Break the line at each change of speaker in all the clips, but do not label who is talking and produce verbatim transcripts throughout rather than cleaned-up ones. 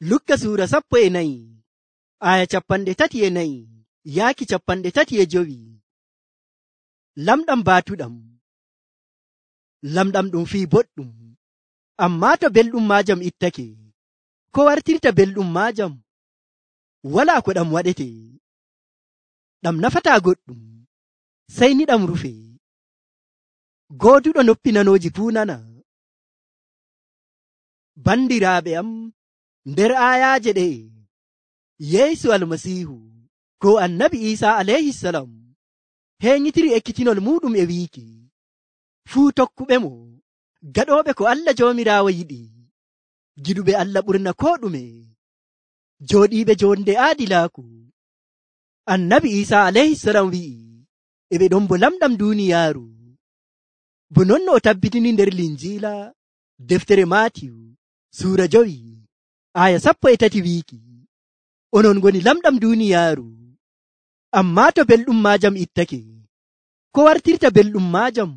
Lukka suura sappo e nayi aya capanɗe tati e nayi yaaki capanɗe tati e jowi. Lamɗam baatuɗam. Lamɗam ɗum fii boɗɗum, ammaa to belɗum maajam ittake, ko wartirta belɗum maajam? Walaa ko ɗam waɗete. Ɗam nafataa goɗɗum, sey ni ɗam rufe. Gooduɗo noppi nanooji fuu nana. Bandiraaɓe am, nder aayaaje ɗe'e, Yeesu Almasiihu ko Annabi Iisaa alayhisalam heeñitiri ekkitinol muuɗum e wiiki fuu tokkuɓemo gaɗooɓe ko Allah Joomiraawo yiɗi, giɗuɓe Allah ɓurna koo ɗume, jooɗiiɓe jonde aadilaaku. Annabi Iisaa alayhisalam wi'i e ɓe ɗon bo lamɗam duuniyaaru, bo non no o tabbitini nder Linjiila deftere Maatiyu suura jowi aya sappo e tati wiiki, onon ngoni lamɗam duuniyaaru, ammaa to belɗum maajam ittake, ko wartirta belɗum maajam?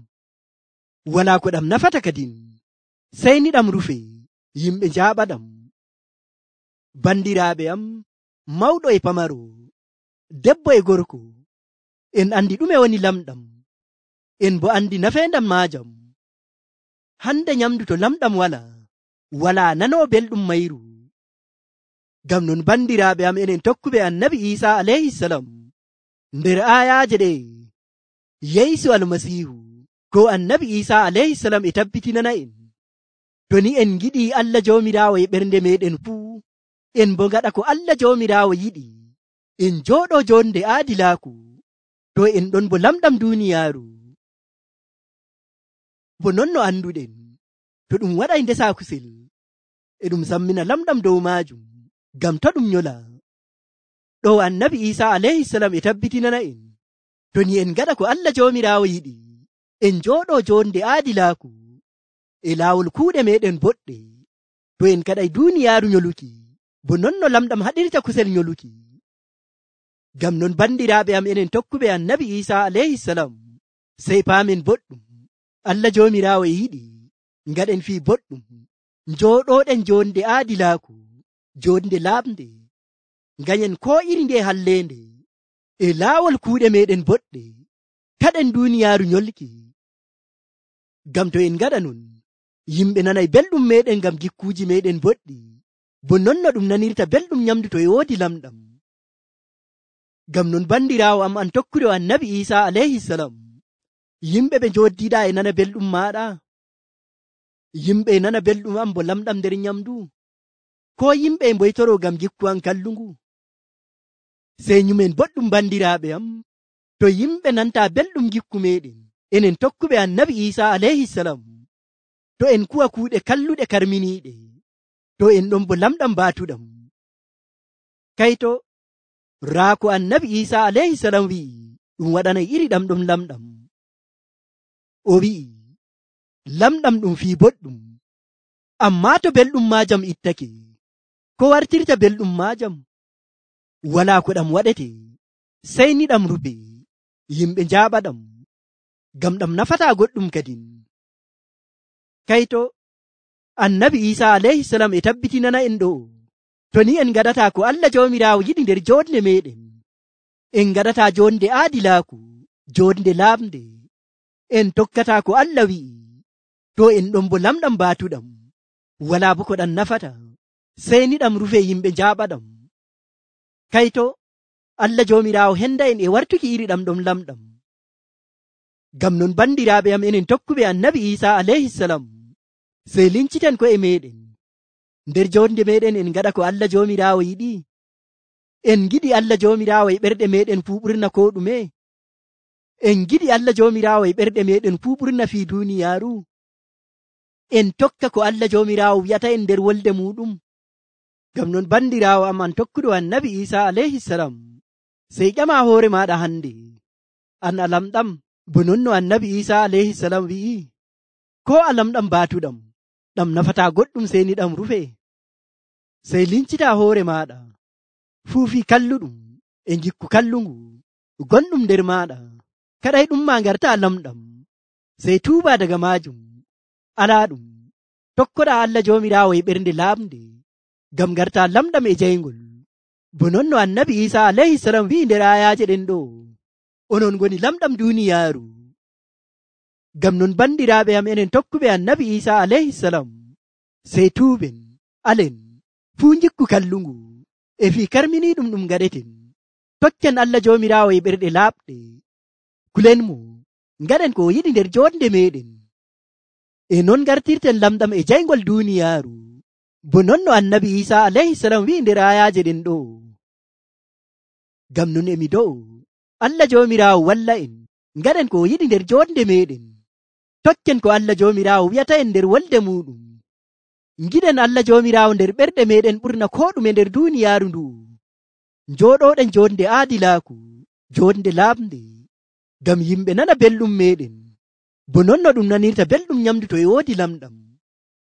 Walaa ko ɗam nafata kadin, sey ni ɗam rufe, yimɓe njaaɓaɗam. Bandiraaɓe am, mawɗo e pamaro, debbo e gorko, en andi ɗume woni lamɗam, en bo andi nafeendam maajam. Hande nyamdu to lamɗam wala, walaa nanoo belɗum mayru. Ngam non bandiraaɓe am, enen tokkuɓe Annabi Iisaa alayhisalam, nder aayaaje ɗe Yeesu Almasiihu ko Annabi Iisaa alayhisalam e tabbitinana en, to ni en giɗii Allah Joomiraawo e ɓernde meɗen fuu, en bo ngaɗa ko Allah Joomiraawo yiɗi, en jooɗoo jonde aadilaaku, to en ɗon bo lamɗam duuniyaaru. Bo non no anduɗen, to ɗum waɗay ndesa kusel, e ɗum sammina lamɗam dow maajum, ngam to ɗum nyola. Ɗo Annabi Iisaa alayhisalam e tabbitinana en, to ni en ngaɗa ko Allah Joomiraawo yiɗi, en jooɗoo jonde aadilaaku e laawol kuuɗe meɗen boɗɗe, to en kaɗay duuniyaaru nyoluki, bo non no lamɗam haɗirta kusel nyoluki. Ngam non bandiraaɓe am, enen tokkuɓe Annabi Iisaa alayhisalam, sey paamen boɗɗum Allah Joomiraawo e yiɗi ngaɗen fii boɗɗum, njooɗooɗen jonde aadilaaku, jonde laaɓnde, nganyen koo iri nde halleende e laawol kuuɗe meɗen boɗɗe, kaɗen duuniyaaru nyolki. Ngam to en ngaɗa non, yimɓe nanay belɗum meɗen ngam gikkuuji meɗen boɗɗi, bo non no ɗum nanirta belɗum nyamdu to e woodi lamɗam. Ngam non bandiraawo am, an tokkuɗo Annabi Iisaa alayhisalam, yimɓe ɓe njoddiɗaa e nana belɗum maaɗa? Yimɓe e nana belɗum am bo lamɗam nder nyamdu? Ko yimɓe e mboytoro ngam gikku an kallungu? Sey nyumen boɗɗum bandiraaɓe am, to yimɓe nanta belɗum gikku meɗen, enen tokkuɓe Annabi Iisaa alayhisalam, to en kuwa kuuɗe kalluɗe karminiiɗe, to en ɗon bo lamɗam baatuɗam. Kayto raa ko Annabi Iisaa alayhisalam wi'i ɗum waɗanay iri ɗam ɗon lamɗam. O wi'i lamɗam ɗum fii boɗɗum, ammaa to belɗum maajam ittake, ko wartirta belɗum maajam? Walaa ko ɗam waɗete, sey ni ɗam rufe, yimɓe njaaɓaɗam, ngam ɗam nafataa goɗɗum kadin. Kayto Annabi Iisaa alayhisalam e tabbitinana en ɗo, to ni en ngaɗataa ko Allah Joomiraawo yiɗi nder jonde meɗen, en ngaɗataa jonde aadilaaku, jonde laaɓnde, en tokkataa ko Allah wi'i, to en ɗon bo lamɗam baatuɗam, walaa bo ko ɗam nafata, sey ni ɗam rufe, yimɓe njaaɓaɗam. Kayto Allah Joomiraawo henda en e wartuki iri ɗam ɗon lamɗam. Ngam non bandiraaɓe am, enen tokkuɓe Annabi Iisaa alayhisalam, sey linciten ko'e meɗen, nder jonde meɗen en ngaɗa ko Allah Joomiraawo yiɗi, en giɗi Allah Joomiraawo e ɓerɗe meɗen fuu ɓurna ko ɗume, en giɗi Allah Joomiraawo e ɓerɗe meɗen fuu ɓurna fii duuniyaaru, en tokka ko Allah Joomiraawo wi'ata en nder wolde muɗum. Ngam non bandiraawo am, an tokkuɗo Annabi Iisaa alayhisalam, sey ƴama hoore maɗa hande, an a lamɗam, bo non no Annabi Iisaa alayhisalam wi'i, ko a lamɗam baatuɗam, ɗam nafataa goɗɗum, sey ni ɗam rufe. Sey lincita hoore maɗa fuufi kalluɗum e gikku kallungu gonɗum nder maɗa, kaɗay ɗum ma ngarta lamɗam, sey tuuba daga maajum, alaa ɗum, tokkoɗa Allah Joomiraawo e ɓernde laaɓnde, ngam garta lamɗam e jayngol. Bo non no annabi Isa alayhi salam wi'i nder ayaje ɗen ɗo, onon ngoni lamɗam duniyaaru. Ngam non bandiraaɓe am enen tokkuɓe annabi Isa alayhi salam, sey tuuɓen, alen fuu jikku kallungu e fii karminiiɗum ɗum gaɗeten. Tokken Allah Joomiraawo e ɓerɗe laaɓɗe. Kulen mo, ngaɗen ko o yiɗi nder jonde meɗen. E non gartirten lamɗam e jayngol duniyaaru. Bo non no annabi Isa alayhi salam wi'i nder ayaje ɗen ɗo. Ngam non emi do'o Allah Joomiraawo walla en ngaɗen ko o yiɗi nder jonde meɗen. Tokken ko Allah Joomiraawo wi'ata en nder wolde muɗum. Giɗen Allah Joomiraawo nder ɓerɗe meɗen ɓurna ko ɗume nder duniyaaru ndu. Njooɗoɗen jonde aadilaaku, jonde laaɓnde, ngam yimɓe nana belɗum meɗen, bo non no ɗum nanirta belɗum nyamdu to e woodi lamɗam.